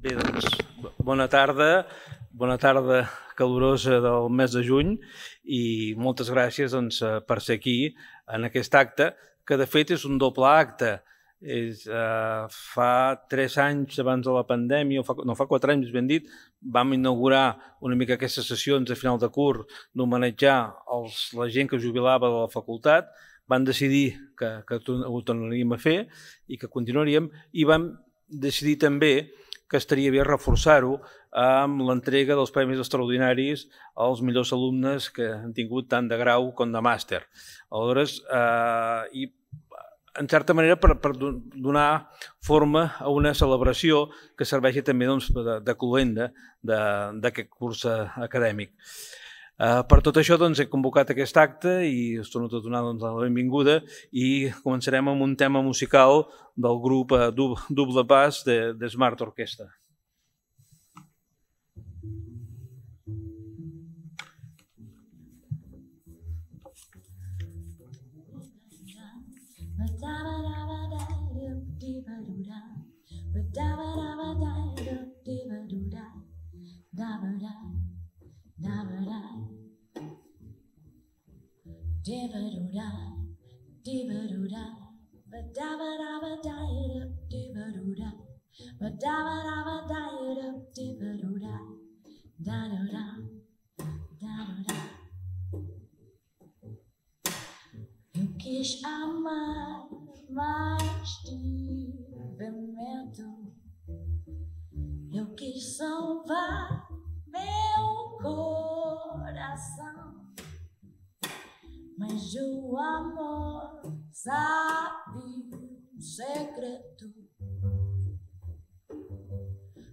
Bé, doncs, bona tarda calorosa del mes de juny i moltes gràcies per ser aquí en aquest acte, que de fet és un doble acte. Fa 3 anys abans de la pandèmia, fa 4 anys ben dit, vam inaugurar una mica aquestes sessions de final de curs d'homenatjar la gent que jubilava de la facultat. Van decidir que ho tornaríem a fer i que continuaríem, i vam decidir també que estaria bé reforçar-ho amb l'entrega dels premis extraordinaris als millors alumnes que han tingut tant de grau com de màster. Aleshores, i en certa manera per donar forma a una celebració que serveixi també de cloenda d'aquest curs acadèmic. Per tot això he convocat aquest acte i us torno a donar la benvinguda i començarem amb un tema musical del grup Double Bass de Smart Orchestra. Eu quis amar, mas tive medo. Eu quis salvar meu coração, mas o amor sabe um segredo.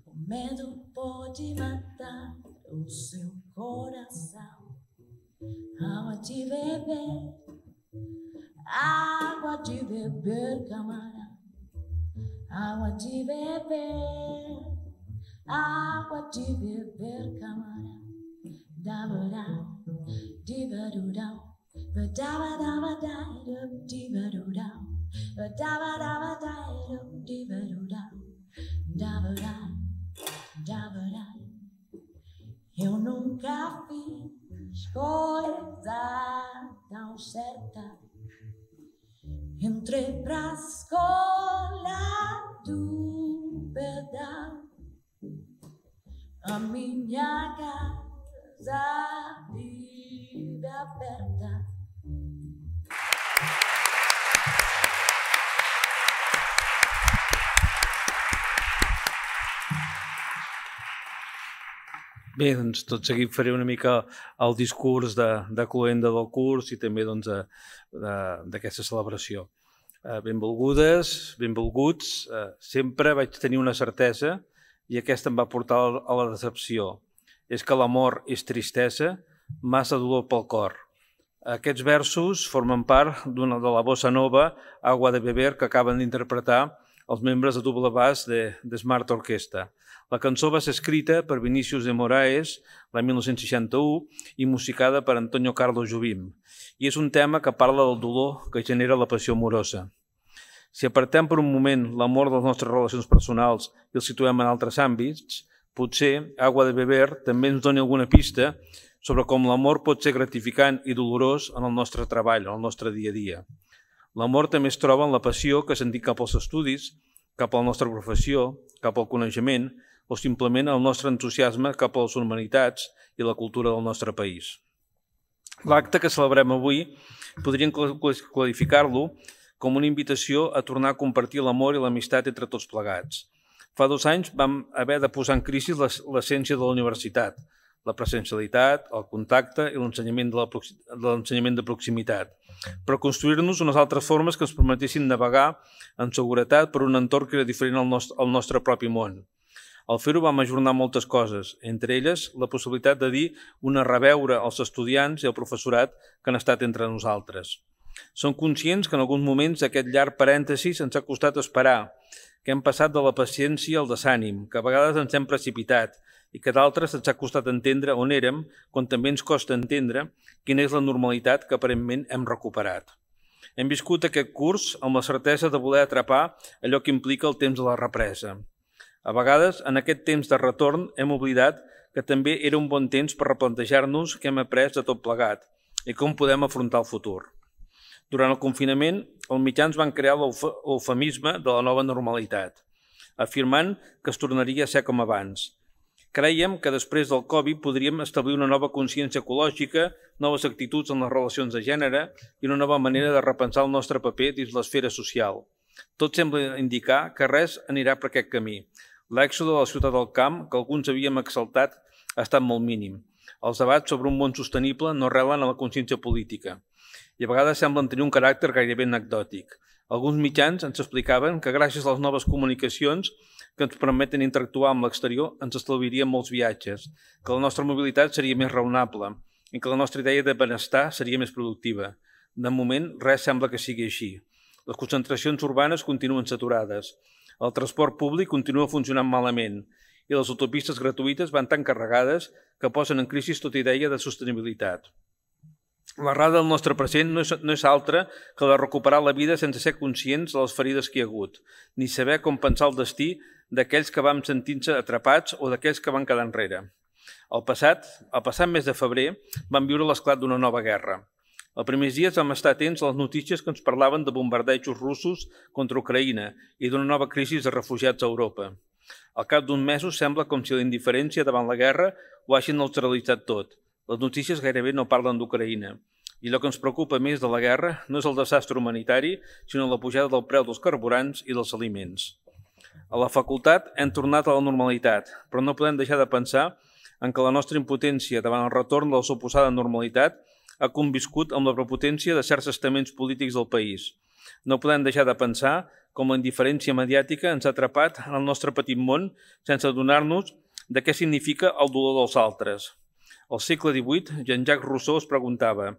O medo pode matar o seu coração. Água de beber, água de beber, camarada. Água de beber, água de beber, camarada. Da-ba-da, di-ba-do-da, ba-da-ba-da-ba-da, di-ba-do-da, ba-da-ba-da-ba-da, di-ba-do-da, da-ba-da, da-ba-da. Eu nunca fiz coisa tão certa. Entrei pra escola do pedal, a minha casa vive aberta. Bé, doncs tot seguit faré una mica el discurs de cloenda del curs i també d'aquesta celebració. Benvolgudes, benvolguts, sempre vaig tenir una certesa i aquesta em va portar a la decepció. És que l'amor és tristesa, massa dolor pel cor. Aquests versos formen part de la bossa nova Agua de Beber que acaben d'interpretar els membres de Double Bass de Smart Orchestra. La cançó va ser escrita per Vinícius de Moraes l'any 1961 i musicada per Antonio Carlos Jobim. I és un tema que parla del dolor que genera la passió amorosa. Si apartem per un moment l'amor de les nostres relacions personals i el situem en altres àmbits, potser Agua de Beber també ens doni alguna pista sobre com l'amor pot ser gratificant i dolorós en el nostre treball, en el nostre dia a dia. L'amor també es troba en la passió que sentim cap als estudis, cap a la nostra professió, cap al coneixement o simplement el nostre entusiasme cap a les humanitats i la cultura del nostre país. L'acte que celebrem avui podríem qualificar-lo com una invitació a tornar a compartir l'amor i l'amistat entre tots plegats. Fa 2 anys vam haver de posar en crisi l'essència de la universitat, la presencialitat, el contacte i l'ensenyament de proximitat, per construir-nos unes altres formes que ens permetessin navegar en seguretat per un entorn que era diferent al nostre propi món. Al fer-ho vam ajornar moltes coses, entre elles la possibilitat de dir una reveure als estudiants i al professorat que han estat entre nosaltres. Som conscients que en alguns moments aquest llarg parèntesi ens ha costat esperar, que hem passat de la paciència al desànim, que a vegades ens hem precipitat i que d'altres ens ha costat entendre on érem, quan també ens costa entendre quina és la normalitat que aparentment hem recuperat. Hem viscut aquest curs amb la certesa de voler atrapar allò que implica el temps de la represa. A vegades, en aquest temps de retorn, hem oblidat que també era un bon temps per replantejar-nos què hem après de tot plegat i com podem afrontar el futur. Durant el confinament, els mitjans van crear l'eufemisme de la nova normalitat, afirmant que es tornaria a ser com abans. Crèiem que després del Covid podríem establir una nova consciència ecològica, noves actituds en les relacions de gènere i una nova manera de repensar el nostre paper dins l'esfera social. Tot sembla indicar que res anirà per aquest camí. L'èxode de la ciutat al camp, que alguns havíem exaltat, ha estat molt mínim. Els debats sobre un món sostenible no arrelen a la consciència política i a vegades semblen tenir un caràcter gairebé anecdòtic. Alguns mitjans ens explicaven que gràcies a les noves comunicacions que ens permeten interactuar amb l'exterior ens estalviarien molts viatges, que la nostra mobilitat seria més raonable i que la nostra idea de benestar seria més productiva. De moment, res sembla que sigui així. Les concentracions urbanes continuen saturades, el transport públic continua funcionant malament i les autopistes gratuïtes van tan carregades que posen en crisi tota idea de sostenibilitat. L'errada del nostre present no és altra que la de recuperar la vida sense ser conscients de les ferides que hi ha hagut, ni saber com pensar el destí d'aquells que vam sentir-se atrapats o d'aquells que van quedar enrere. Al passat mes de febrer, vam viure l'esclat d'una nova guerra. Els primers dies vam estar atents a les notícies que ens parlaven de bombardejos russos contra Ucraïna i d'una nova crisi de refugiats a Europa. Al cap d'uns mesos sembla com si la indiferència davant la guerra ho hagin neutralitzat tot. Les notícies gairebé no parlen d'Ucraïna. I el que ens preocupa més de la guerra no és el desastre humanitari, sinó la pujada del preu dels carburants i dels aliments. A la facultat hem tornat a la normalitat, però no podem deixar de pensar en que la nostra impotència davant el retorn de la suposada normalitat ha conviscut amb la prepotència de certs estaments polítics del país. No podem deixar de pensar com la indiferència mediàtica ens ha atrapat en el nostre petit món sense adonar-nos de què significa el dolor dels altres. Al segle XVIII, Jean-Jacques Rousseau es preguntava: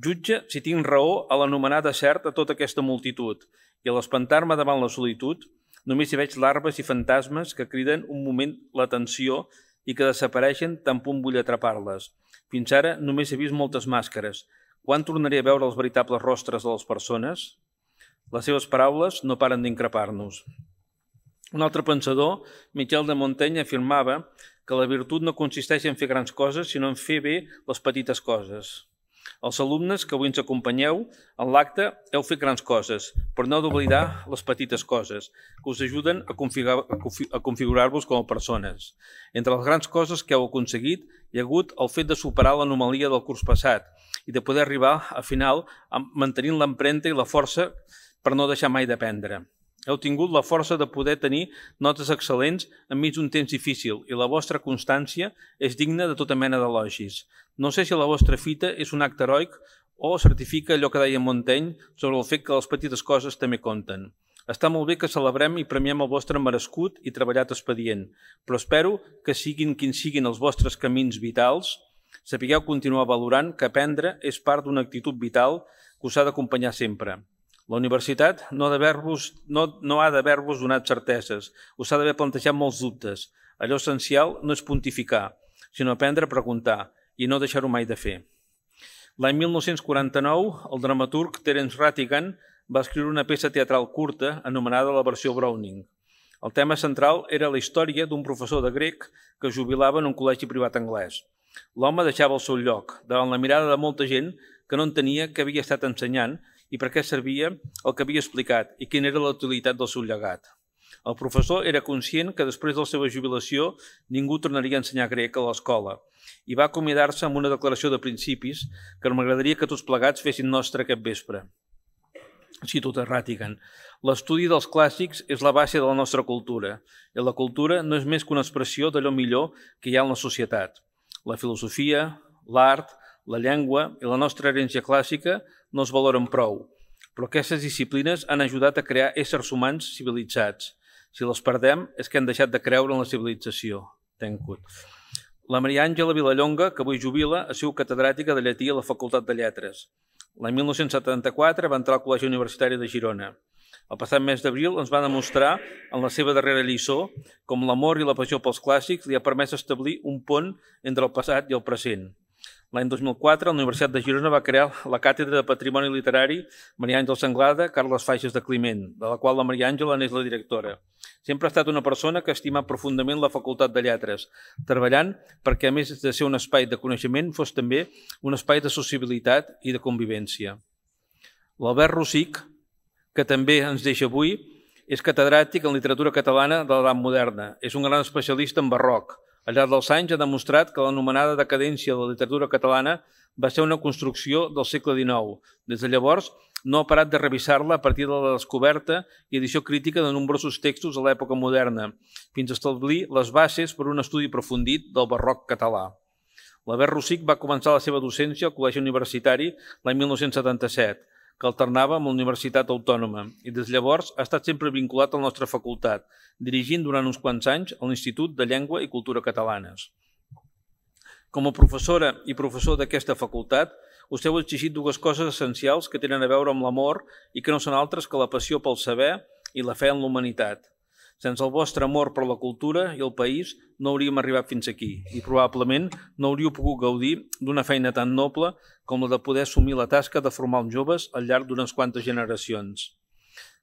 jutge si tinc raó a l'anomenar desert a tota aquesta multitud i a l'espantar-me davant la solitud, només hi veig larves i fantasmes que criden un moment l'atenció i que desapareixen tan punt vull atrapar-les. Fins ara només he vist moltes màscares. Quan tornaré a veure els veritables rostres de les persones? Les seves paraules no paren d'increpar-nos. Un altre pensador, Michel de Montaigne, afirmava que la virtut no consisteix en fer grans coses, sinó en fer bé les petites coses. Els alumnes que avui ens acompanyeu, en l'acte heu fet grans coses, però no heu d'oblidar les petites coses, que us ajuden a configurar-vos com a persones. Entre les grans coses que heu aconseguit, hi ha hagut el fet de superar l'anomalia del curs passat i de poder arribar, a final, mantenint l'empremta i la força per no deixar mai d'aprendre. Heu tingut la força de poder tenir notes excel·lents enmig d'un temps difícil i la vostra constància és digna de tota mena d'elogis. No sé si la vostra fita és un acte heroic o certifica allò que deia Montaigne sobre el fet que les petites coses també compten. Està molt bé que celebrem i premiem el vostre merescut i treballat expedient, però espero que siguin quins siguin els vostres camins vitals, sapigueu continuar valorant que aprendre és part d'una actitud vital que us ha d'acompanyar sempre. La universitat no ha d'haver-vos donat certeses, us ha d'haver plantejat molts dubtes. Allò essencial no és pontificar, sinó aprendre a preguntar i no deixar-ho mai de fer. L'any 1949, el dramaturg Terence Rattigan va escriure una peça teatral curta anomenada la versió Browning. El tema central era la història d'un professor de grec que es jubilava en un col·legi privat anglès. L'home deixava el seu lloc, davant la mirada de molta gent que no entenia què havia estat ensenyant i per què servia el que havia explicat i quina era la utilitat del seu llegat. El professor era conscient que després de la seva jubilació ningú tornaria a ensenyar grec a l'escola i va acomiadar-se amb una declaració de principis que m'agradaria que tots plegats fessin nostre aquest vespre. Cito de Rattigan: l'estudi dels clàssics és la base de la nostra cultura i la cultura no és més que una expressió d'allò millor que hi ha en la societat. La filosofia, l'art, la llengua i la nostra herència clàssica no es valoren prou, però aquestes disciplines han ajudat a crear éssers humans civilitzats. Si les perdem és que hem deixat de creure en la civilització. Tencut. La Maria Àngela Vilallonga, que avui jubila, ha sigut catedràtica de llatí a la Facultat de Lletres. L'any 1974 va entrar al Col·legi Universitari de Girona. El passat mes d'abril ens va demostrar, en la seva darrera lliçó, com l'amor i la passió pels clàssics li ha permès establir un pont entre el passat i el present. L'any 2004, la Universitat de Girona va crear la Càtedra de Patrimoni Literari Maria Àngels Anglada, Carles Faixas de Climent, de la qual la Maria Àngela n'és la directora. Sempre ha estat una persona que ha estimat profundament la Facultat de Lletres, treballant perquè, a més de ser un espai de coneixement, fos també un espai de sociabilitat i de convivència. L'Albert Rosic, que també ens deixa avui, és catedràtic en literatura catalana de l'edat moderna. És un gran especialista en barroc. Al llarg dels anys ha demostrat que l'anomenada decadència de la literatura catalana va ser una construcció del segle XIX. Des de llavors no ha parat de revisar-la a partir de la descoberta i edició crítica de nombrosos textos a l'època moderna, fins a establir les bases per un estudi aprofundit del barroc català. L'Albert Rosic va començar la seva docència al Col·legi Universitari l'any 1977, que alternava amb la Universitat Autònoma, i des de llavors ha estat sempre vinculat a la nostra facultat, dirigint durant uns quants anys a l'Institut de Llengua i Cultura Catalanes. Com a professora i professor d'aquesta facultat, us heu exigit dues coses essencials que tenen a veure amb l'amor i que no són altres que la passió pel saber i la fe en la humanitat. Sense el vostre amor per la cultura i el país no hauríem arribat fins aquí i probablement no hauríeu pogut gaudir d'una feina tan noble com la de poder assumir la tasca de formar els joves al llarg d'unes quantes generacions.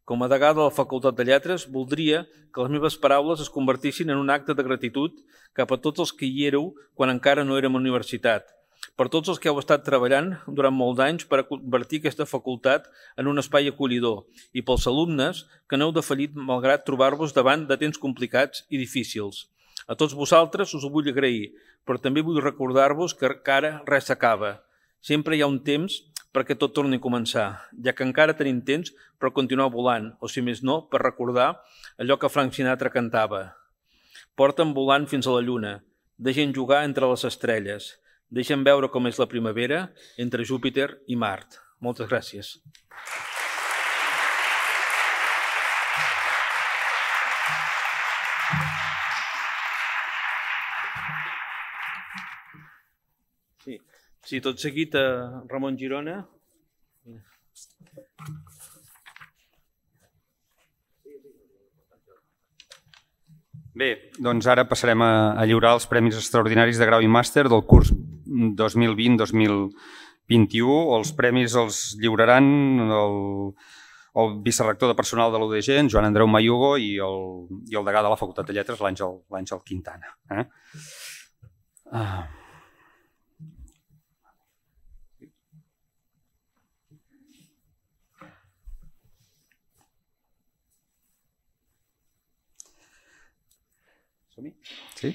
Com a degà de la Facultat de Lletres, voldria que les meves paraules es convertissin en un acte de gratitud cap a tots els que hi éreu quan encara no érem universitat, per tots els que heu estat treballant durant molts anys per a convertir aquesta facultat en un espai acollidor i pels alumnes que n'heu defallit malgrat trobar-vos davant de temps complicats i difícils. A tots vosaltres us ho vull agrair, però també vull recordar-vos que ara res s'acaba. Sempre hi ha un temps perquè tot torni a començar, ja que encara tenim temps per continuar volant, o si més no, per recordar allò que Frank Sinatra cantava. Porta'm volant fins a la lluna, deixa'm jugar entre les estrelles, deixa'm veure com és la primavera entre Júpiter i Mart. Moltes gràcies. Sí, tot seguit a Ramon Girona. Bé, doncs ara passarem a lliurar els Premis Extraordinaris de Grau i Màster del curs 2020-2021. Els premis els lliuraran el vicerrector de personal de l'UDG, en Joan Andreu Mayugo, i el degà de la Facultat de Lletres, l'Àngel Quintana. Sí.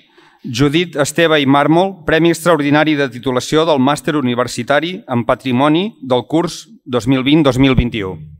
Judit Esteve i Màrmol, Premi Extraordinari de Titulació del Màster Universitari en Patrimoni del curs 2020-2021.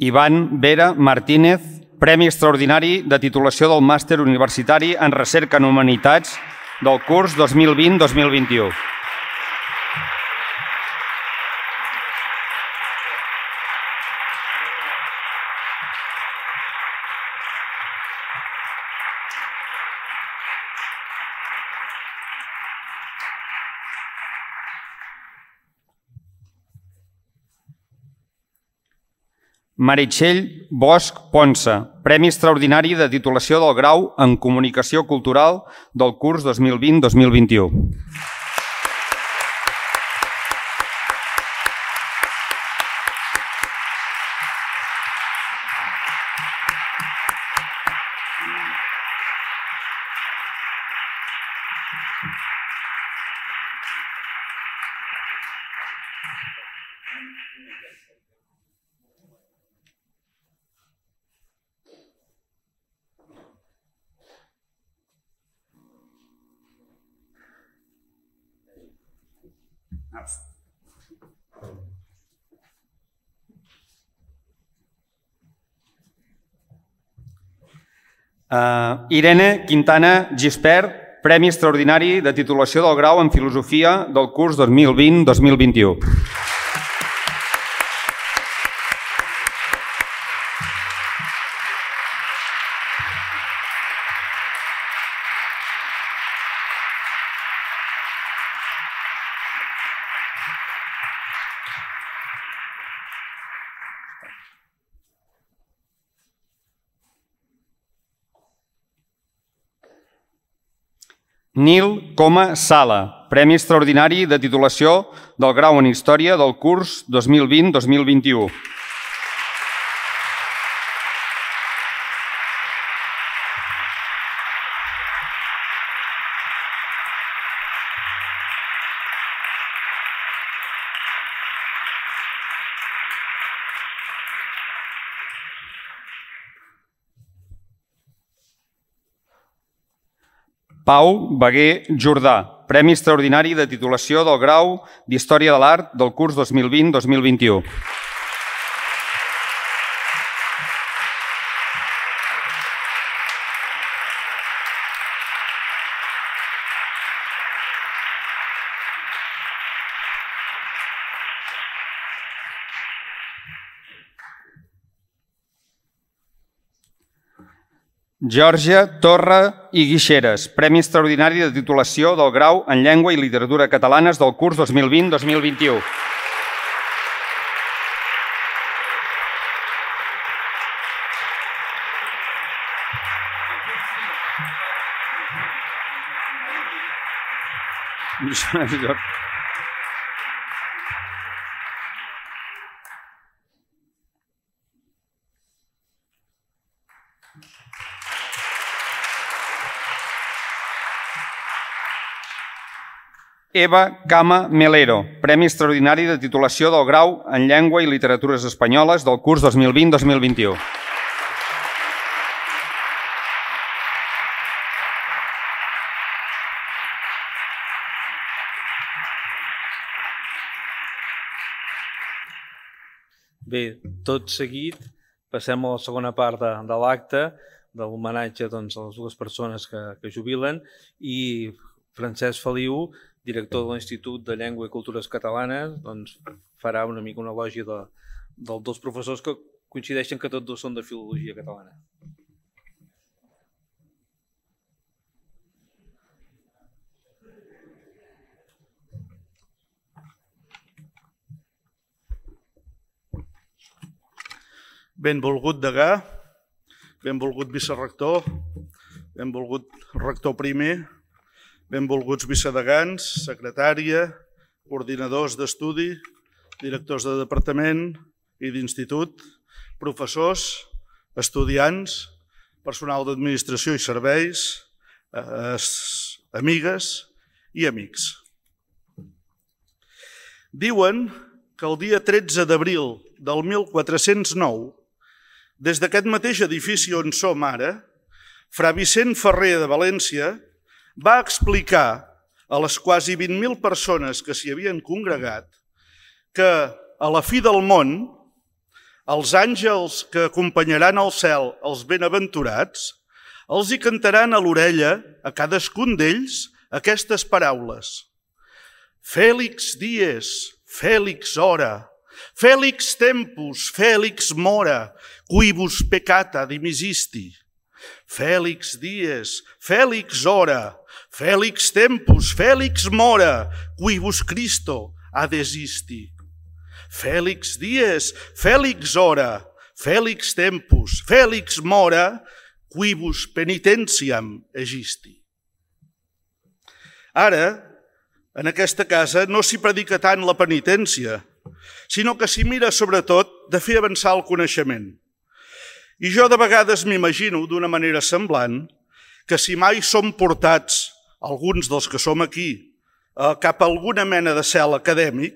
Ivan Vera Martínez, Premi Extraordinari de Titulació del Màster Universitari en Recerca en Humanitats del curs 2020-2021. Meritxell Bosch Ponsa, Premi Extraordinari de Titulació del Grau en Comunicació Cultural del curs 2020-2021. Irene Quintana Gispert, Premi Extraordinari de Titulació del Grau en Filosofia del curs 2020-2021. Nil Coma Sala, Premi Extraordinari de titulació del grau en Història del curs 2020-2021. Pau Beguer Jordà, Premi Extraordinari de titulació del grau d'Història de l'Art del curs 2020-2021. Geòrgia Torra i Guixeres, Premi Extraordinari de titulació del grau en Llengua i Literatura Catalanes del curs 2020-2021. Eva Cama Melero, Premi Extraordinari de titulació del grau en Llengua i Literatures Espanyoles del curs 2020-2021. Bé, tot seguit passem a la segona part de l'acte, de l'homenatge a les dues persones que jubilen, i Francesc Feliu, director de l'Institut de Llengua i Cultures Catalanes, farà una mica una elogi dels dos professors que coincideixen que tots dos són de filologia catalana. Benvolgut degà, benvolgut vicerrector, benvolgut rector primer, benvolguts vicedegans, secretària, coordinadors d'estudi, directors de departament i d'institut, professors, estudiants, personal d'administració i serveis, amigues i amics. Diuen que el dia 13 d'abril del 1409, des d'aquest mateix edifici on som ara, Fra Vicent Ferrer de València va explicar a les quasi 20.000 persones que s'hi havien congregat que a la fi del món els àngels que acompanyaran al cel els benaventurats els hi cantaran a l'orella a cadascun d'ells aquestes paraules: Fèlix dies, Fèlix hora, Fèlix tempus, Fèlix mora, quibus peccata dimisisti. Fèlix dies, Fèlix hora, Fèlix tempus, Fèlix mora, quibus Christo adesisti. Fèlix dies, Fèlix hora, Fèlix tempus, Fèlix mora, quibus penitentiam egisti. Ara, en aquesta casa no s'hi predica tant la penitència, sinó que s'hi mira sobretot de fer avançar el coneixement. I jo de vegades m'imagino d'una manera semblant que si mai som portats, alguns dels que som aquí, cap a alguna mena de cel acadèmic,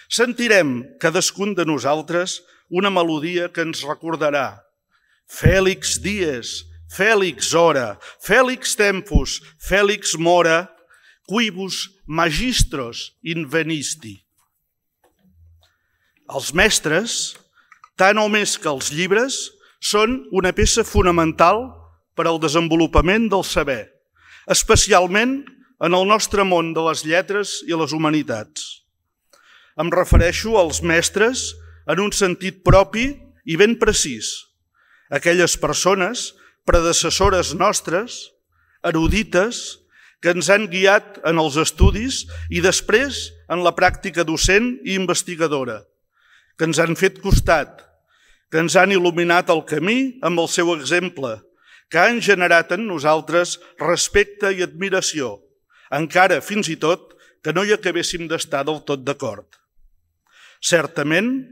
sentirem cadascun de nosaltres una melodia que ens recordarà: Fèlix dies, Fèlix hora, Fèlix tempus, Fèlix mora, quibus magistros invenisti. Els mestres, tant o més que els llibres, són una peça fonamental per al desenvolupament del saber, especialment en el nostre món de les lletres i les humanitats. Em refereixo als mestres en un sentit propi i ben precís, aquelles persones predecessores nostres, erudites, que ens han guiat en els estudis i després en la pràctica docent i investigadora, que ens han fet costat, que ens han il·luminat el camí amb el seu exemple, que han generat en nosaltres respecte i admiració, encara fins i tot que no hi acabéssim d'estar del tot d'acord. Certament,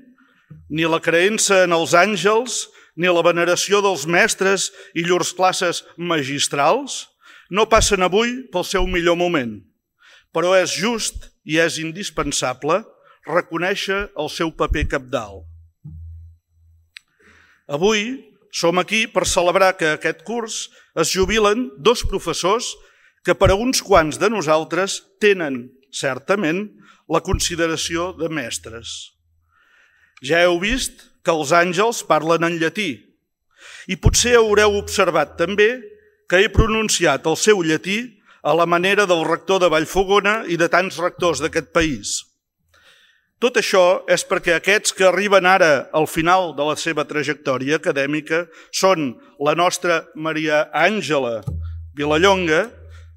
ni la creença en els àngels, ni la veneració dels mestres i llurs classes magistrals no passen avui pel seu millor moment, però és just i és indispensable reconèixer el seu paper cabdal. Avui som aquí per celebrar que aquest curs es jubilen 2 professors que per a uns quants de nosaltres tenen, certament, la consideració de mestres. Ja heu vist que els àngels parlen en llatí i potser haureu observat també que he pronunciat el seu llatí a la manera del rector de Vallfogona i de tants rectors d'aquest país. Tot això és perquè aquests que arriben ara al final de la seva trajectòria acadèmica són la nostra Maria Àngela Vilallonga,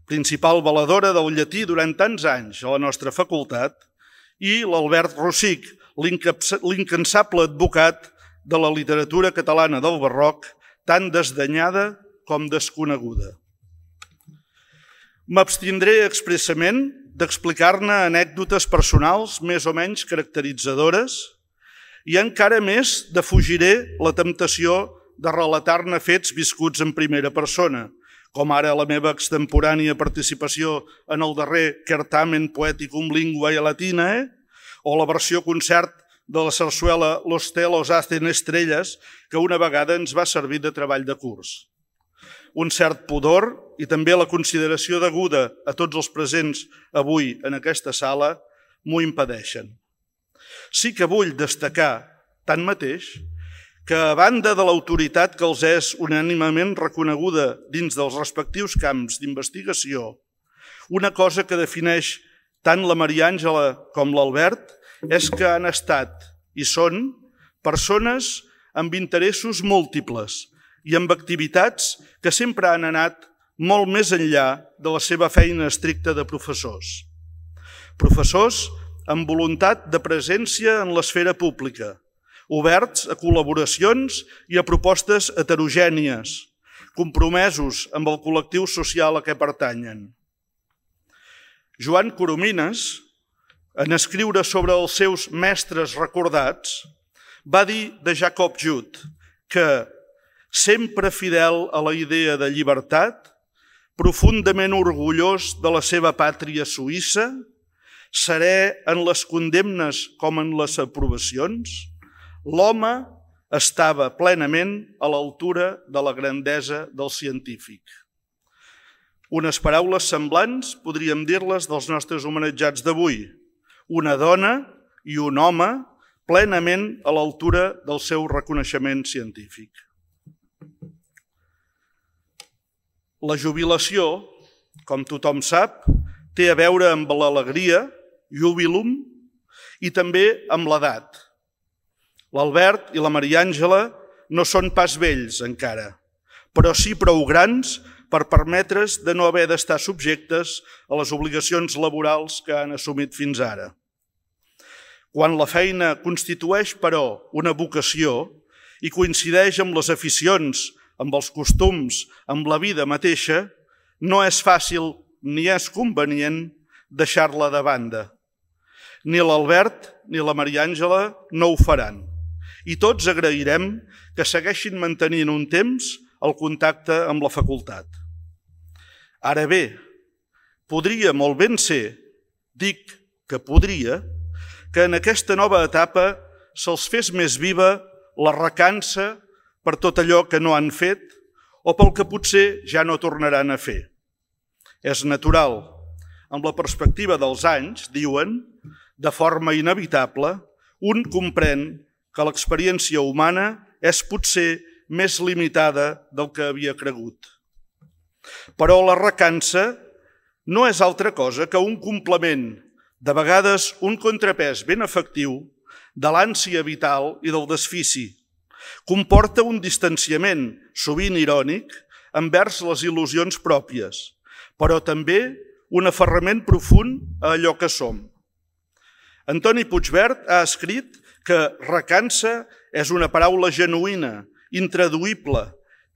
principal valedora del llatí durant tants anys a la nostra facultat, i l'Albert Rossich, l'incansable advocat de la literatura catalana del barroc, tan desdenyada com desconeguda. M'abstindré expressament d'explicar-ne anècdotes personals més o menys caracteritzadores i encara més defugiré la temptació de relatar-ne fets viscuts en primera persona, com ara la meva extemporània participació en el darrer Certamen Poeticum Linguae Latinae o la versió concert de la sarsuela Los telos hacen estrelles, que una vegada ens va servir de treball de curs. Un cert pudor i també la consideració deguda a tots els presents avui en aquesta sala m'ho impedeixen. Sí que vull destacar, tanmateix, que a banda de l'autoritat que els és unànimement reconeguda dins dels respectius camps d'investigació, una cosa que defineix tant la Maria Àngela com l'Albert és que han estat i són persones amb interessos múltiples i amb activitats que sempre han anat molt més enllà de la seva feina estricta de professors. Professors amb voluntat de presència en l'esfera pública, oberts a col·laboracions i a propostes heterogènies, compromesos amb el col·lectiu social a què pertanyen. Joan Coromines, en escriure sobre els seus mestres recordats, va dir de Jacob Jud que, sempre fidel a la idea de llibertat, profundament orgullós de la seva pàtria suïssa, serè en les condemnes com en les aprovacions, l'home estava plenament a l'altura de la grandesa del científic. Unes paraules semblants podríem dir-les dels nostres homenatjats d'avui. Una dona i un home plenament a l'altura del seu reconeixement científic. La jubilació, com tothom sap, té a veure amb l'alegria, jubilum, i també amb l'edat. L'Albert i la Maria Àngela no són pas vells encara, però sí prou grans per permetre's de no haver d'estar subjectes a les obligacions laborals que han assumit fins ara. Quan la feina constitueix, però, una vocació i coincideix amb les aficions, amb els costums, amb la vida mateixa, no és fàcil ni és convenient deixar-la de banda. Ni l'Albert ni la Maria Àngela no ho faran. I tots agrairem que segueixin mantenint un temps el contacte amb la facultat. Ara bé, podria molt ben ser, dic que podria, que en aquesta nova etapa se'ls fes més viva la recança per tot allò que no han fet o pel que potser ja no tornaran a fer. És natural. Amb la perspectiva dels anys, diuen, de forma inevitable, un comprèn que l'experiència humana és potser més limitada del que havia cregut. Però la recança no és altra cosa que un complement, de vegades un contrapès ben efectiu, de l'ànsia vital i del desfici. Comporta un distanciament, sovint irònic, envers les il·lusions pròpies, però també un aferrament profund a allò que som. Antoni Puigvert ha escrit que recança és una paraula genuïna, intraduïble,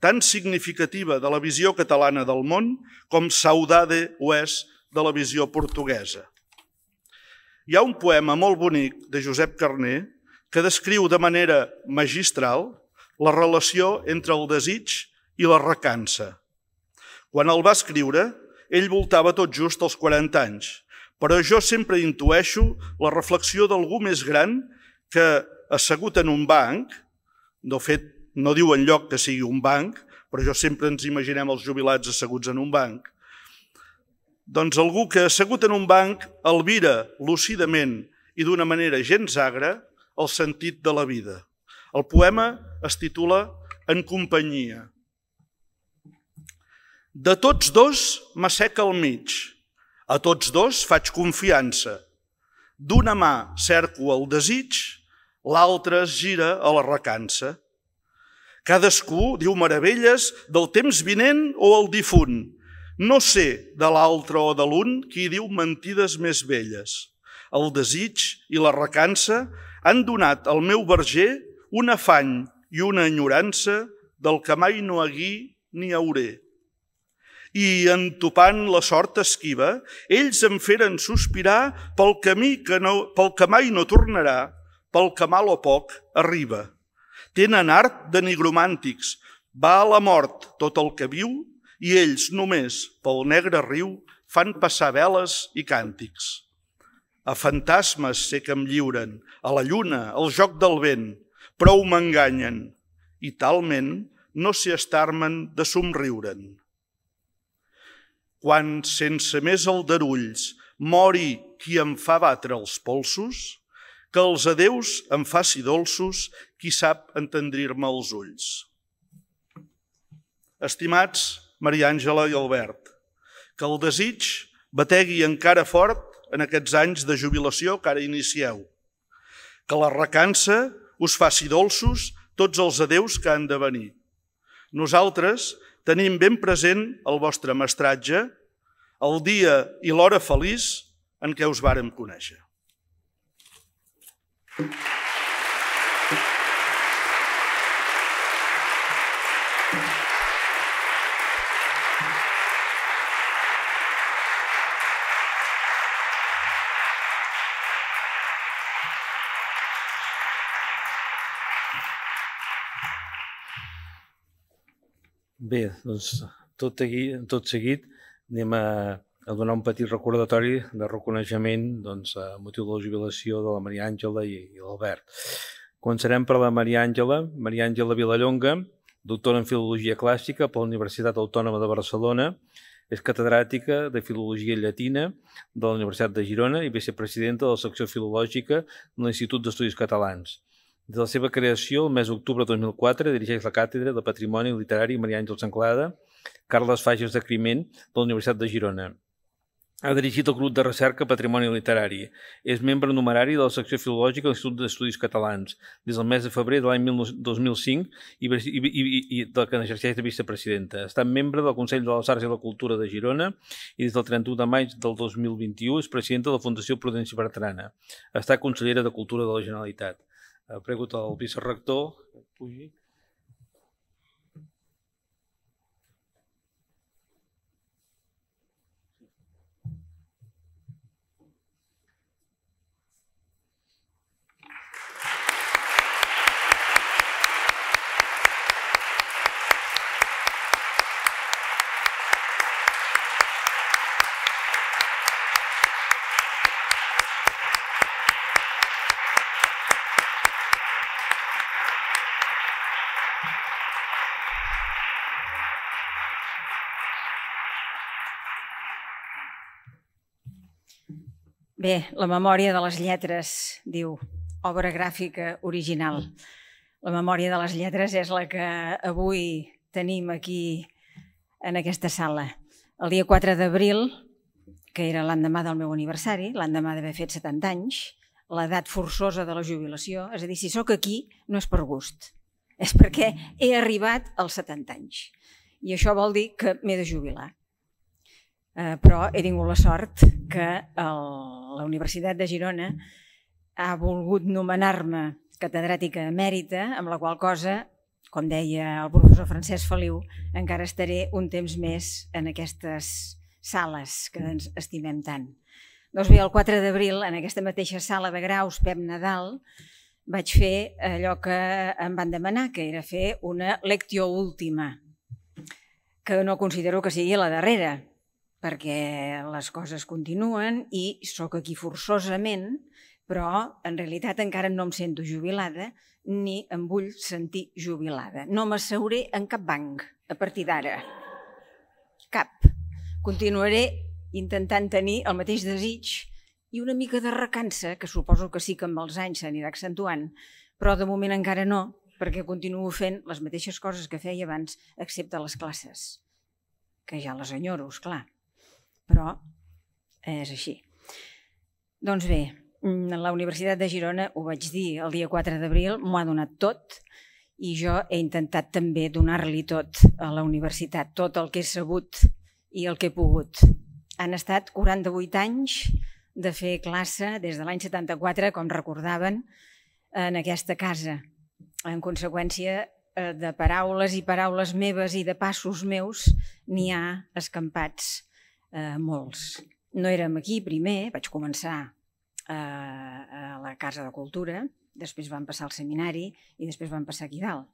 tan significativa de la visió catalana del món com saudade ho és de la visió portuguesa. Hi ha un poema molt bonic de Josep Carner que descriu de manera magistral la relació entre el desig i la recança. Quan el va escriure, ell voltava tot just als 40 anys, però jo sempre intueixo la reflexió d'algú més gran que, assegut en un banc, de fet, no diu enlloc que sigui un banc, però jo sempre ens imaginem els jubilats asseguts en un banc, doncs algú que, assegut en un banc, albira lúcidament i d'una manera gens agra el sentit de la vida. El poema es titula En companyia. De tots dos m'asseca al mig, a tots dos faig confiança. D'una mà cerco el desig, l'altra es gira a la recança. Cadascú diu meravelles del temps vinent o el difunt. No sé de l'altre o de l'un qui diu mentides més velles. El desig i la recança han donat al meu verger un afany i una enyorança del que mai no haguí ni hauré. I, entopant la sort esquiva, ells em feren sospirar pel camí pel que mai no tornarà, pel que mal o poc arriba. Tenen art de nigromàntics, va a la mort tot el que viu i ells només pel negre riu fan passar veles i càntics. A fantasmes sé que em lliuren, a la lluna, al joc del vent, prou m'enganyen i talment no sé estar-me'n de somriure'n. Quan, sense més aldarulls, mori qui em fa batre els polsos, que els adeus em faci dolços qui sap entendrir-me els ulls. Estimats Maria Àngela i Albert, que el desig bategui encara fort en aquests anys de jubilació que ara inicieu. Que la recança us faci dolços tots els adeus que han de venir. Nosaltres tenim ben present el vostre mestratge, el dia i l'hora feliç en què us vàrem conèixer. Bé, doncs tot seguit anem a donar un petit recordatori de reconeixement a motiu de la jubilació de la Maria Àngela i l'Albert. Començarem per la Maria Àngela Vilallonga, doctora en Filologia Clàssica per la Universitat Autònoma de Barcelona, és catedràtica de Filologia Llatina de la Universitat de Girona i vicepresidenta de la secció filològica de l'Institut d'Estudis Catalans. Des de la seva creació, el mes d'octubre de 2004, dirigeix la Càtedra de Patrimoni Literari Maria Àngels Anglada, Carles Fages de Climent, de la Universitat de Girona. Ha dirigit el grup de recerca Patrimoni Literari. És membre numerari de la secció filològica de l'Institut d'Estudis Catalans des del mes de febrer de l'any 2005 i del que n'exerceix de vicepresidenta. Ha estat membre del Consell de les Arts i la Cultura de Girona i des del 31 de maig del 2021 és presidenta de la Fundació Prudenci Bertrana. Ha estat consellera de Cultura de la Generalitat. Prego el vicerector que pugi. Bé, la memòria de les lletres, diu, obra gràfica original. La memòria de les lletres és la que avui tenim aquí en aquesta sala. El dia 4 d'abril, que era l'endemà del meu aniversari, l'endemà d'haver fet 70 anys, l'edat forçosa de la jubilació, és a dir, si sóc aquí no és per gust, és perquè he arribat als 70 anys. I això vol dir que m'he de jubilar. Però he tingut la sort que la Universitat de Girona ha volgut nomenar-me catedràtica emèrita, amb la qual cosa, com deia el professor Francesc Feliu, encara estaré un temps més en aquestes sales que ens estimem tant. Doncs bé, el 4 d'abril, en aquesta mateixa sala de graus Pep Nadal, vaig fer allò que em van demanar, que era fer una lectio última, que no considero que sigui la darrera, perquè les coses continuen i sóc aquí forçosament, però en realitat encara no em sento jubilada ni em vull sentir jubilada. No m'asseuré en cap banc a partir d'ara. Cap. Continuaré intentant tenir el mateix desig i una mica de recança, que suposo que sí que amb els anys s'anirà accentuant, però de moment encara no, perquè continuo fent les mateixes coses que feia abans, excepte les classes, que ja les enyoro, esclar. Però és així. Doncs bé, la Universitat de Girona, ho vaig dir el dia 4 d'abril, m'ho ha donat tot i jo he intentat també donar-li tot a la universitat, tot el que he sabut i el que he pogut. Han estat 48 anys de fer classe des de l'any 74, com recordaven, en aquesta casa. En conseqüència de paraules i paraules meves i de passos meus n'hi ha escampats molts. No érem aquí primer, vaig començar a la Casa de Cultura, després vam passar al seminari i després vam passar aquí dalt.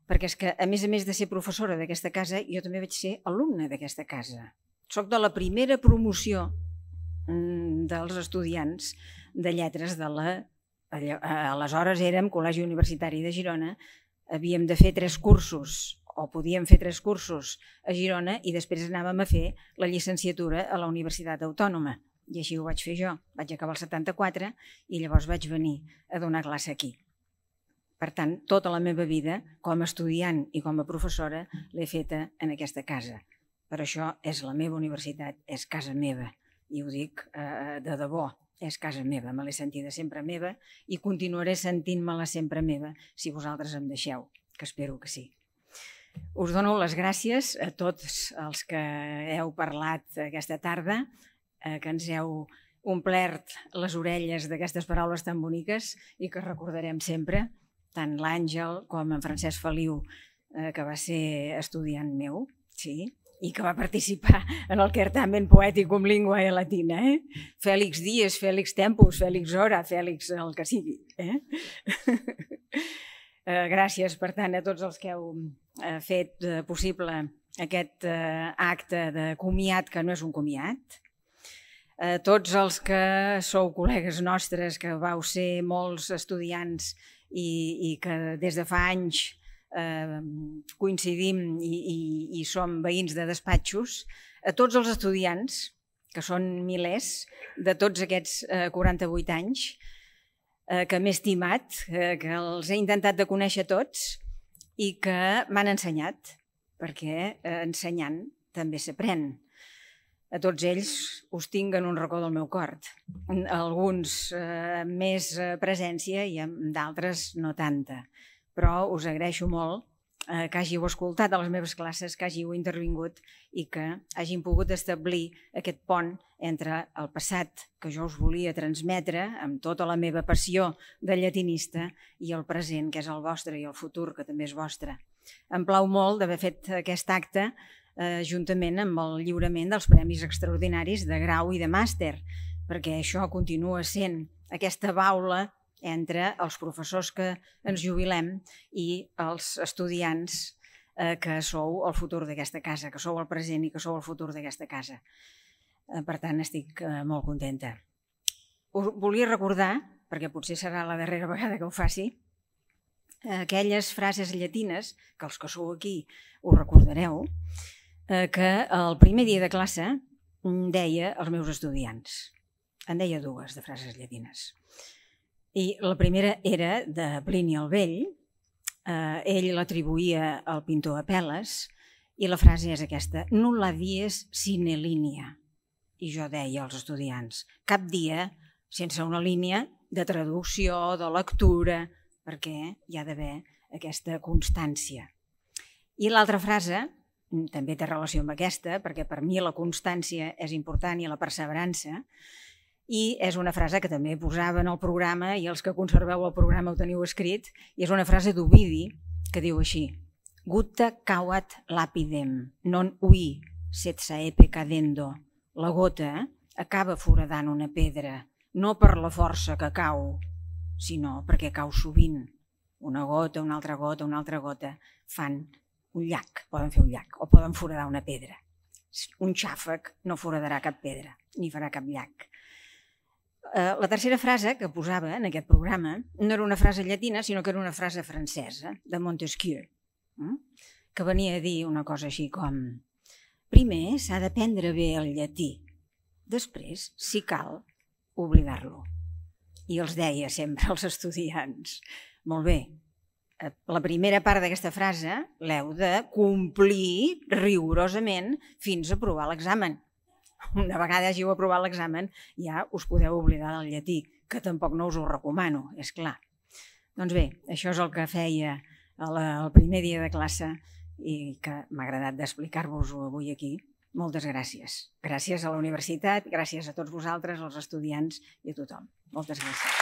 Perquè és que, a més de ser professora d'aquesta casa, jo també vaig ser alumna d'aquesta casa. Soc de la primera promoció dels estudiants de lletres de la... Aleshores érem Col·legi Universitari de Girona, havíem de fer 3 cursos, o podíem fer 3 cursos a Girona i després anàvem a fer la llicenciatura a la Universitat Autònoma. I així ho vaig fer jo. Vaig acabar el 74 i llavors vaig venir a donar classe aquí. Per tant, tota la meva vida, com a estudiant i com a professora, l'he feta en aquesta casa. Per això és la meva universitat, és casa meva. I ho dic de debò, és casa meva. Me l'he sentida sempre meva i continuaré sentint-me-la sempre meva si vosaltres em deixeu, que espero que sí. Us dono les gràcies a tots els que heu parlat aquesta tarda, que ens heu omplert les orelles d'aquestes paraules tan boniques i que recordarem sempre, tant l'Àngel com en Francesc Feliu, que va ser estudiant meu, sí, i que va participar en el certamen poèticum linguae latina. Fèlix Díez, Fèlix Tempus, Fèlix Hora, Fèlix el que sigui. Gràcies, per tant, a tots els que heu fet possible aquest acte de comiat, que no és un comiat. A tots els que sou col·legues nostres, que vau ser molts estudiants i que des de fa anys coincidim i som veïns de despatxos, a tots els estudiants, que són milers, de tots aquests 48 anys, que m'he estimat, que els he intentat de conèixer tots i que m'han ensenyat, perquè ensenyant també s'aprèn. A tots ells us tinc en un racó del meu cor. Alguns amb més presència i d'altres no tanta. Però us agraeixo molt que hàgiu escoltat a les meves classes, que hàgiu intervingut i que hàgim pogut establir aquest pont entre el passat que jo us volia transmetre amb tota la meva passió de llatinista i el present, que és el vostre, i el futur, que també és vostre. Em plau molt d'haver fet aquest acte juntament amb el lliurament dels Premis Extraordinaris de grau i de màster, perquè això continua sent aquesta baula entre els professors que ens jubilem i els estudiants que sou el futur d'aquesta casa, que sou el present i que sou el futur d'aquesta casa. Per tant, estic molt contenta. Us volia recordar, perquè potser serà la darrera vegada que ho faci, aquelles frases llatines, que els que sou aquí ho recordareu, que el primer dia de classe deia als meus estudiants. En deia 2 de frases llatines. I la primera era de Plini el Vell, ell l'atribuïa al pintor Apel·les, i la frase és aquesta: nulla dies sine linea. I jo deia als estudiants, cap dia sense una línia de traducció, de lectura, perquè hi ha d'haver aquesta constància. I l'altra frase també té relació amb aquesta, perquè per mi la constància és important i la perseverança, i és una frase que també posava en el programa, i els que conserveu el programa ho teniu escrit, i és una frase d'Ovidi que diu així: gutta cauat lapidem, non ui setsaepe cadendo. La gota acaba foradant una pedra, no per la força que cau, sinó perquè cau sovint. Una gota, una altra gota, una altra gota, fan un llac, poden fer un llac, o poden foradar una pedra. Un xàfec no foradarà cap pedra, ni farà cap llac. La tercera frase que posava en aquest programa no era una frase llatina, sinó que era una frase francesa, de Montesquieu, que venia a dir una cosa així com: primer s'ha d'aprendre bé el llatí, després, si cal, oblidar-lo. I els deia sempre als estudiants: molt bé, la primera part d'aquesta frase l'heu de complir rigorosament fins a aprovar l'examen. Una vegada hàgiu aprovat l'examen ja us podeu oblidar del llatí, que tampoc no us ho recomano, és clar. Doncs bé, això és el que feia el primer dia de classe i que m'ha agradat d'explicar-vos-ho avui aquí. Moltes gràcies. Gràcies a la universitat, gràcies a tots vosaltres, als estudiants i a tothom. Moltes gràcies.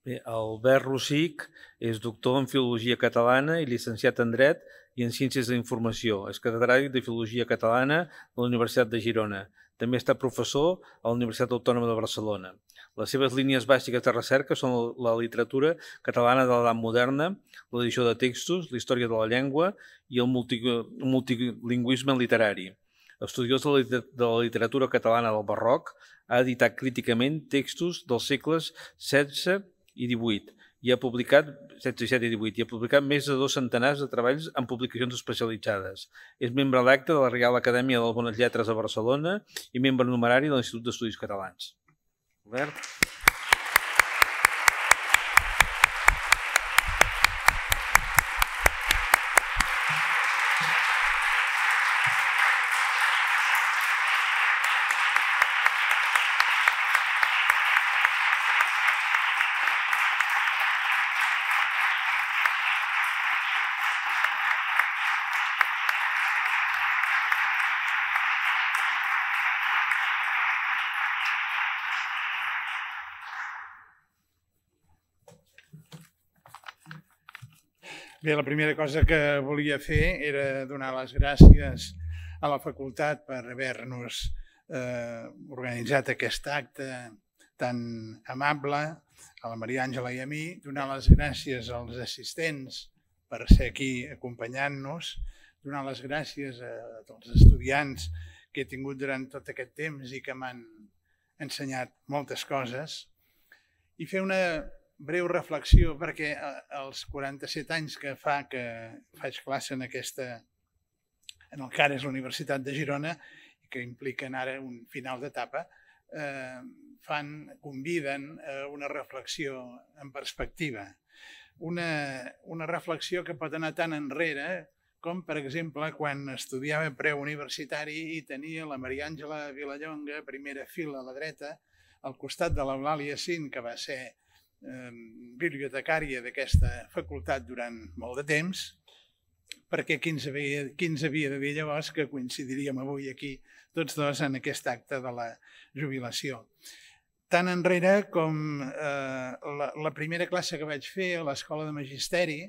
Bé, Albert Rosic és doctor en Filologia Catalana i llicenciat en Dret i en Ciències de la Informació. És catedràtic de Filologia Catalana de la Universitat de Girona. També ha estat professor a la Universitat Autònoma de Barcelona. Les seves línies bàsiques de recerca són la literatura catalana de l'edat moderna, l'edició de textos, la història de la llengua i el multilingüisme literari. Estudiós de la literatura catalana del barroc, ha editat críticament textos dels segles XVI i XVIII i ha publicat més de 2 centenars de treballs en publicacions especialitzades. És membre electe de la Reial Acadèmia de les Bones Lletres de Barcelona i membre numerari de l'Institut d'Estudis Catalans. Albert. Bé, la primera cosa que volia fer era donar les gràcies a la facultat per haver-nos organitzat aquest acte tan amable, a la Maria Àngela i a mi, donar les gràcies als assistents per ser aquí acompanyant-nos, donar les gràcies a tots els estudiants que he tingut durant tot aquest temps i que m'han ensenyat moltes coses, i fer una breu reflexió, perquè als 47 anys que fa que faig classe en el que ara és la Universitat de Girona, que impliquen ara un final d'etapa, conviden a una reflexió en perspectiva. Una reflexió que pot anar tan enrere com, per exemple, quan estudiava preuniversitari i tenia la Maria Àngela Vilallonga, primera fila a la dreta, al costat de l'Eulàlia Cint, que va ser bibliotecària d'aquesta facultat durant molt de temps, perquè qui ens havia de dir llavors que coincidiríem avui aquí tots dos en aquest acte de la jubilació. Tan enrere com la primera classe que vaig fer a l'Escola de Magisteri,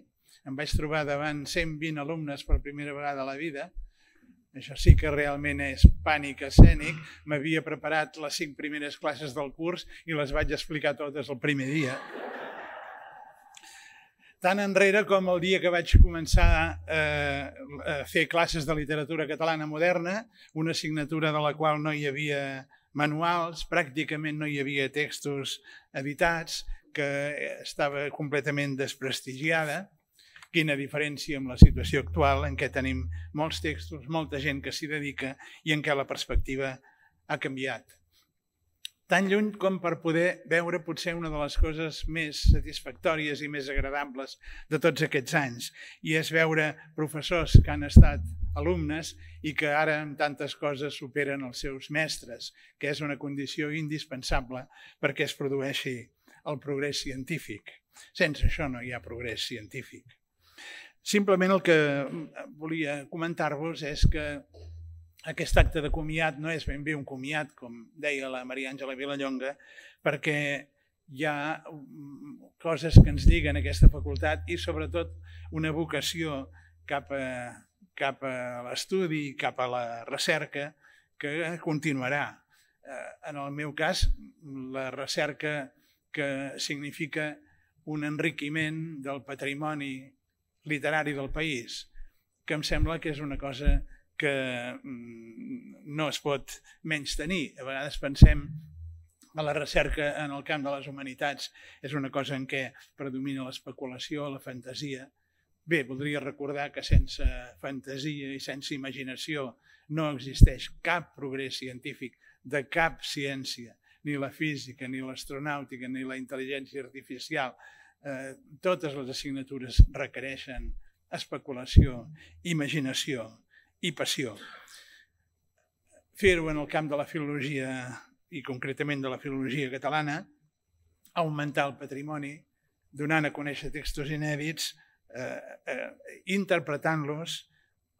em vaig trobar davant 120 alumnes per primera vegada a la vida. Això sí que realment és pànic escènic. M'havia preparat les 5 primeres classes del curs i les vaig explicar totes el primer dia. Tan enrere com el dia que vaig començar a fer classes de literatura catalana moderna, una assignatura de la qual no hi havia manuals, pràcticament no hi havia textos editats, que estava completament desprestigiada. Quina diferència amb la situació actual en què tenim molts textos, molta gent que s'hi dedica i en què la perspectiva ha canviat. Tan lluny com per poder veure potser una de les coses més satisfactòries i més agradables de tots aquests anys, i és veure professors que han estat alumnes i que ara en tantes coses superen els seus mestres, que és una condició indispensable perquè es produeixi el progrés científic. Sense això no hi ha progrés científic. Simplement el que volia comentar-vos és que aquest acte de comiat no és ben bé un comiat, com deia la Maria Àngela Vilallonga, perquè hi ha coses que ens lliguen a aquesta facultat i sobretot una vocació cap a l'estudi, cap a la recerca, que continuarà. En el meu cas, la recerca que significa un enriquiment del patrimoni literari del país, que em sembla que és una cosa que no es pot menystenir. A vegades pensem que la recerca en el camp de les humanitats és una cosa en què predomina l'especulació, la fantasia. Bé, voldria recordar que sense fantasia i sense imaginació no existeix cap progrés científic de cap ciència, ni la física, ni l'astronàutica, ni la intel·ligència artificial. Totes les assignatures requereixen especulació, imaginació i passió. Fer-ho en el camp de la filologia i concretament de la filologia catalana, augmentar el patrimoni, donant a conèixer textos inèdits, interpretant-los,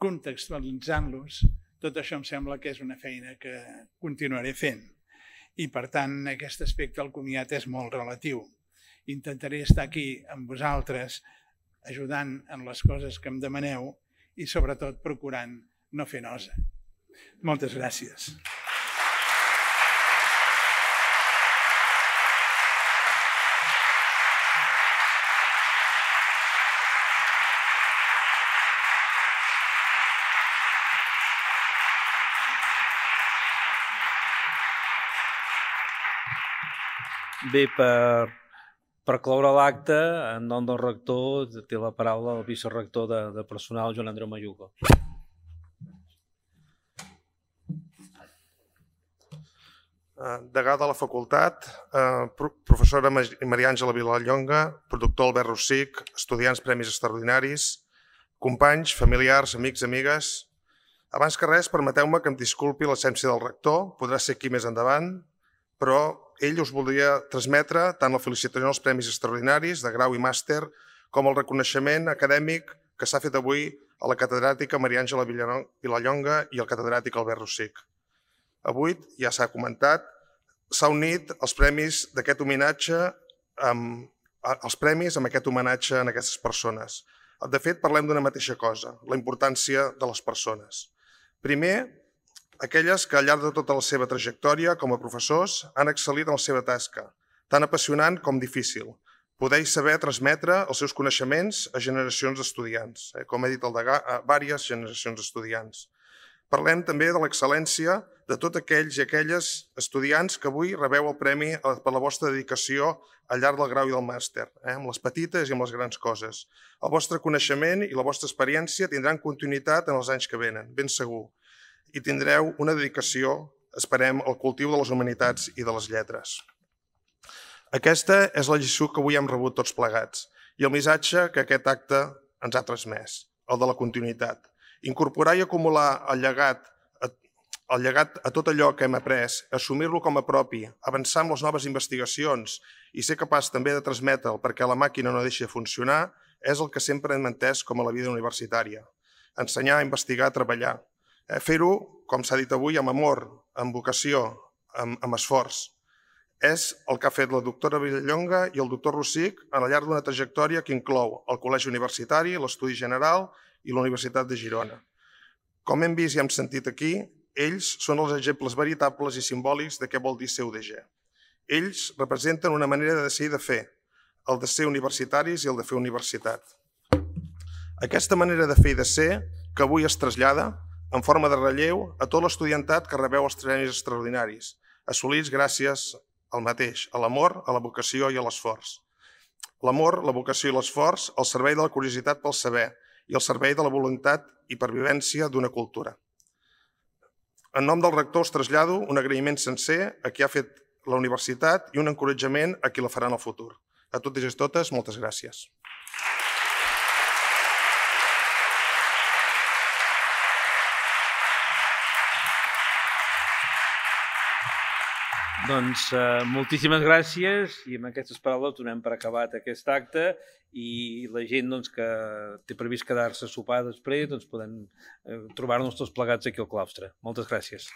contextualitzant-los, tot això em sembla que és una feina que continuaré fent. I, per tant, en aquest aspecte el comiat és molt relatiu. Intentaré estar aquí amb vosaltres, ajudant en les coses que em demaneu i, sobretot, procurant no fer nosa. Moltes gràcies. Bé, per cloure l'acte, en nom del rector, té la paraula el vicerector de personal, Joan Andreu Mayugo. Degà de la facultat, professora Maria Àngela Vilallonga, productor Albert Rossic, estudiants premis extraordinaris, companys, familiars, amics, amigues. Abans que res, permeteu-me que em disculpi l'absència del rector, podrà ser aquí més endavant, però ell us voldria transmetre tant la felicitació als premis extraordinaris de grau i màster com el reconeixement acadèmic que s'ha fet avui a la catedràtica Maria Àngela Vilallonga i al catedràtic Albert Rossic. Avui, ja s'ha comentat, s'ha unit els premis d'aquest homenatge amb aquest homenatge a aquestes persones. De fet, parlem d'una mateixa cosa, la importància de les persones. Primer, aquelles que al llarg de tota la seva trajectòria com a professors han excel·lit en la seva tasca, tan apassionant com difícil, poder saber transmetre els seus coneixements a generacions d'estudiants, com he dit el degà, a diverses generacions d'estudiants. Parlem també de l'excel·lència de tots aquells i aquelles estudiants que avui rebeu el premi per la vostra dedicació al llarg del grau i del màster, amb les petites i amb les grans coses. El vostre coneixement i la vostra experiència tindran continuïtat en els anys que venen, ben segur. I tindreu una dedicació, esperem, al cultiu de les humanitats i de les lletres. Aquesta és la lliçó que avui hem rebut tots plegats i el missatge que aquest acte ens ha transmès, el de la continuïtat. Incorporar i acumular el llegat a tot allò que hem après, assumir-lo com a propi, avançar amb les noves investigacions i ser capaç també de transmetre'l perquè la màquina no deixi de funcionar, és el que sempre hem entès com a la vida universitària. Ensenyar, investigar, treballar. Fer-ho, com s'ha dit avui, amb amor, amb vocació, amb esforç. És el que ha fet la doctora Vilallonga i el doctor Rossic al llarg d'una trajectòria que inclou el Col·legi Universitari, l'Estudi General i la Universitat de Girona. Com hem vist i hem sentit aquí, ells són els exemples veritables i simbòlics de què vol dir ser UDG. Ells representen una manera de ser i de fer, el de ser universitaris i el de fer universitat. Aquesta manera de fer i de ser, que avui es trasllada, en forma de relleu a tot l'estudiantat que rebeu els premis extraordinaris, assolits gràcies al mateix, a l'amor, a la vocació i a l'esforç. L'amor, la vocació i l'esforç al servei de la curiositat pel saber i al servei de la voluntat i pervivència d'una cultura. En nom del rector us trasllado un agraïment sencer a qui ha fet la universitat i un encoratjament a qui la farà en el futur. A tots i totes, moltes gràcies. Doncs moltíssimes gràcies i amb aquestes paraules donem per acabat aquest acte i la gent que té previst quedar-se a sopar després doncs podem trobar-nos tots plegats aquí al claustre. Moltes gràcies.